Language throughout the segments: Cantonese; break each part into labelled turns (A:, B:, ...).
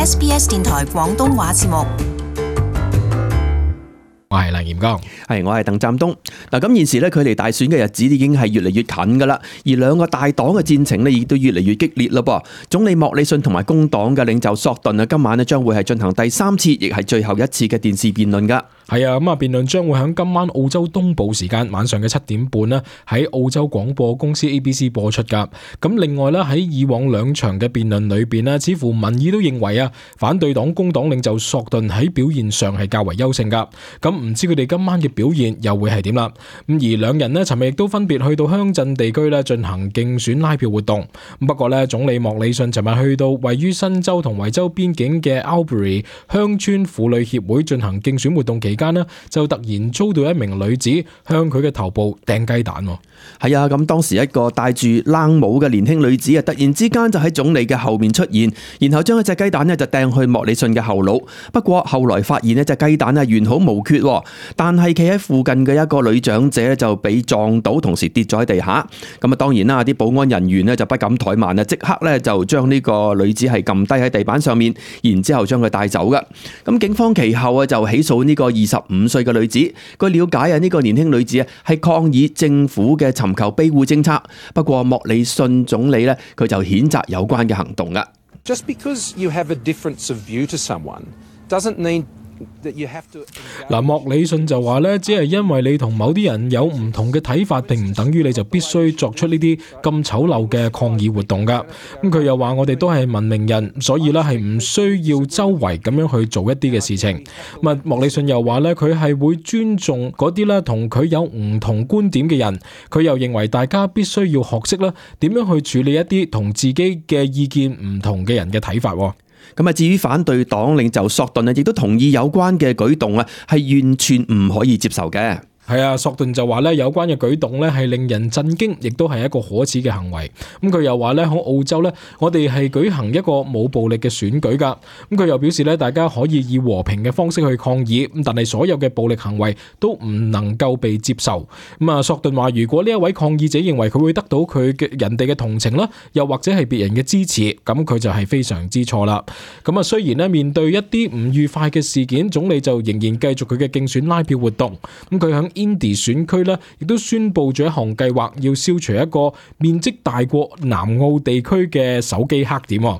A: SBS 電台廣東話節目。
B: 我係梁炎剛，
C: 我係鄧湛東。嗱，咁現時咧，距離大選嘅日子已經係越嚟越近噶啦，而兩個大黨嘅戰情咧，亦都越嚟越激烈咯噃。總理莫里遜同埋工黨嘅領袖索頓啊，今晚咧將會係進行第三次，亦係最後一次嘅電視辯論噶。
B: 係啊，咁啊，辯論將會喺今晚澳洲東部時間晚上嘅7點半啦，喺澳洲廣播公司 ABC 播出噶。咁另外咧，喺以往兩場嘅辯論裏邊咧，似乎民意都認為啊，反對黨工黨領袖索頓喺表現上係較為優勝噶。咁唔知佢哋今晚嘅表現又會係點啦？咁而兩人咧，尋日亦都分別去到鄉鎮地區咧進行競選拉票活動。不過咧，總理莫里遜尋日去到位於新州同維州邊境嘅 Albury 鄉村婦女協會進行競選活動期間呢，就突然遭到一名女子向佢嘅頭部掟雞蛋。
C: 係啊，咁當時一個戴住冷帽嘅年輕女子啊，突然之間就喺總理嘅後面出現，然後將一隻雞蛋呢就掟去莫里遜嘅後腦。不過後來發現呢隻雞蛋呢完好無缺，但係企喺附近嘅一個女長者就被撞到，同時跌咗喺地下。咁啊，當然啦，啲保安人員呢就不敢怠慢啊，即刻呢就將呢個女子係撳低喺地板上面，然之後將佢帶走噶。咁警方其後啊就起訴呢個25歲嘅女子。據了解啊，呢個年輕女子啊係抗議政府嘅尋求庇護政策。不過莫里遜總理呢，佢就譴責有關嘅行動噶。
D: Just because you have a difference of view to someone doesn't mean
B: 嗱，莫里遜就話咧，只係因為你同某啲人有唔同嘅睇法，並唔等於你就必須作出呢啲咁醜陋嘅抗議活動噶。咁佢又話我哋都係文明人，所以咧係唔需要周圍咁樣去做一啲嘅事情。咁莫里遜又話咧，佢係會尊重嗰啲咧同佢有唔同觀點嘅人。佢又認為大家必須要學識咧點樣去處理一啲同自己嘅意見唔同嘅人嘅睇法。
C: 咁啊，至於反對黨領袖索頓啊，亦都同意有關嘅舉動啊，係完全唔可以接受嘅。
B: 係啊，索頓就話咧，有關嘅舉動咧係令人震驚，亦都係一個可恥嘅行為。咁佢又話咧，喺澳洲咧，我哋係舉行一個冇暴力嘅選舉噶。咁佢又表示咧，大家可以以和平嘅方式去抗議，咁但係所有嘅暴力行為都唔能夠被接受。咁啊，索頓話，如果呢一位抗議者認為佢會得到佢嘅人哋嘅同情啦，又或者係別人嘅支持，咁佢就係非常之錯啦。咁啊，雖然咧面對一啲唔愉快嘅事件，總理就仍然繼續佢嘅競選拉票活動。咁佢響Indy 選區咧，亦都宣布咗一項計劃，要消除一個面積大過南澳地區嘅手機黑點。咁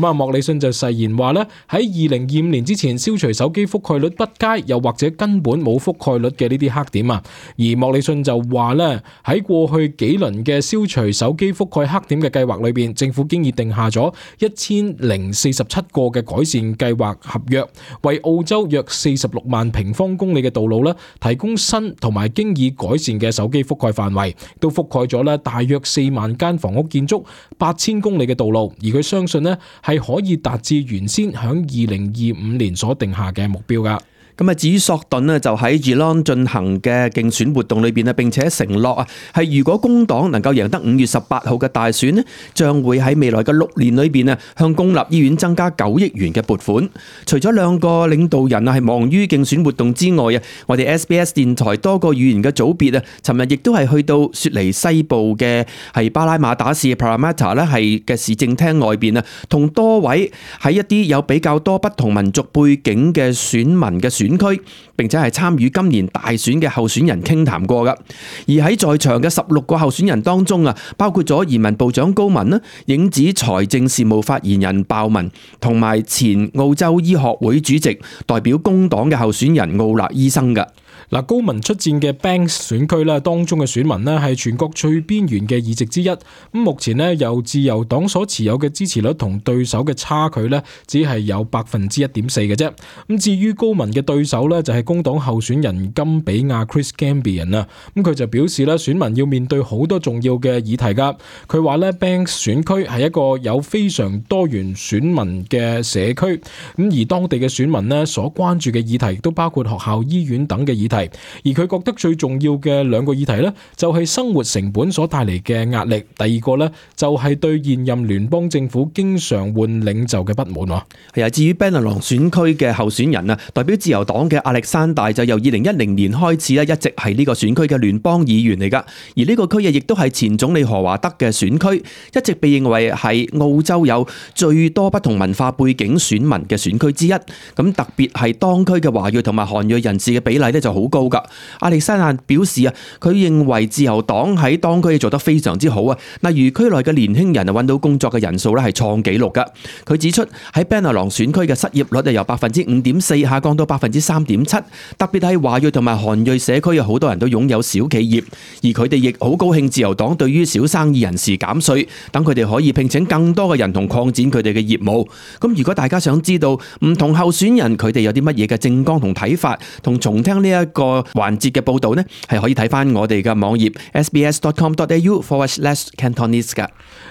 B: 啊，莫里遜就誓言話咧，喺2025年之前消除手機覆蓋率不佳，又或者根本冇覆蓋率嘅呢啲黑點啊。而莫里遜就話咧，喺過去幾輪嘅消除手機覆蓋黑點嘅計劃裏邊，政府經已定下咗1047個嘅改善計劃合約，為澳洲約46萬平方公里嘅道路咧提供新同埋經已改善嘅手機覆蓋範圍，都覆蓋咗咧大約4萬間房屋建築、8000公里嘅道路，而佢相信咧係可以達至原先響2025年所定下嘅目標噶。
C: 咁啊，至於索頓呢，就喺 Geelong 進行嘅競選活動裏邊呢，並且承諾啊，係如果工黨能夠贏得5月18號嘅大選呢，將會喺未來嘅6年裏邊啊，向公立醫院增加9億元嘅撥款。除咗兩個領導人啊係忙於競選活動之外啊，我哋 SBS 電台多個語言嘅組別啊，尋日亦都係去到雪梨西部嘅係巴拉馬打市嘅 Parramatta 咧係嘅市政廳外邊啊，同多位喺一啲有比較多不同民族背景嘅選民嘅選區，並且係參與今年大選嘅候選人傾談過噶。而喺在場嘅16個候選人當中啊，包括咗移民部長高文啦、影子財政事務發言人鮑文，同埋前澳洲醫學會主席代表工黨嘅候選人奧勒醫生噶。
B: 嗱，高文出戰嘅 Banks 選區咧，當中嘅選民咧係全國最邊緣嘅議席之一。咁目前咧由自由黨所持有嘅支持率同對手嘅差距咧，只係有1.4%嘅啫。咁至於高文嘅對手咧，就係工黨候選人金比亞 Chris Gambian 啊。咁佢就表示咧，選民要面對好多重要嘅議題噶。佢話咧 Banks 選區係一個有非常多元選民嘅社區。咁而當地嘅選民咧所關注嘅議題都包括學校、醫院等嘅議議題，而佢覺得最重要嘅兩個議題呢，就係生活成本所帶嚟嘅壓力，第二個呢，就係對現任聯邦政府經常換領袖嘅不滿。
C: 係啊，至於 Bennelong 選區嘅候選人啊，代表自由黨嘅亞歷山大就由2010年開始咧，一直係呢個選區嘅聯邦議員嚟噶，而呢個區亦都係前總理何華德嘅選區，一直被認為係澳洲有最多不同文化背景選民嘅選區之一。咁特別係當區嘅華裔同埋韓裔人士嘅比例咧就好高噶。亞歷山大表示啊，佢認為自由黨喺當區做得非常之好啊，例如區內嘅年輕人啊揾到工作嘅人數咧係創紀錄噶。佢指出喺 Bennelong 選區嘅失業率由 5.4% 下降到 3.7%， 特別係華裔同埋韓裔社區有好多人都擁有小企業，而佢哋亦好高興自由黨對於小生意人士減稅，等佢哋可以聘請更多嘅人同擴展佢哋嘅業務。咁如果大家想知道唔同候選人佢哋有啲乜嘢嘅政綱同睇法，同重聽呢一個環節嘅報導呢，係可以睇翻我哋嘅網頁 sbs.com.au/Cantonese 噶。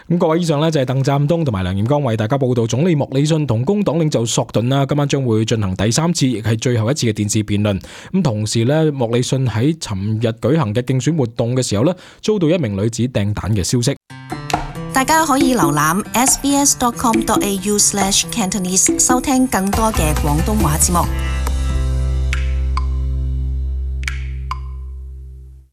B: 咁各位，以上呢就係鄧湛東同埋梁彥剛為大家報道總理莫里遜同工黨領袖索頓啦，今晚將會進行第3次，亦係最後一次嘅電視辯論。咁同時呢，莫里遜喺尋日舉行嘅競選活動嘅時候呢，遭到一名女子掟彈嘅消息。
A: 大家可以瀏覽 sbs.com.au/Cantonese 收聽更多嘅廣東話節目。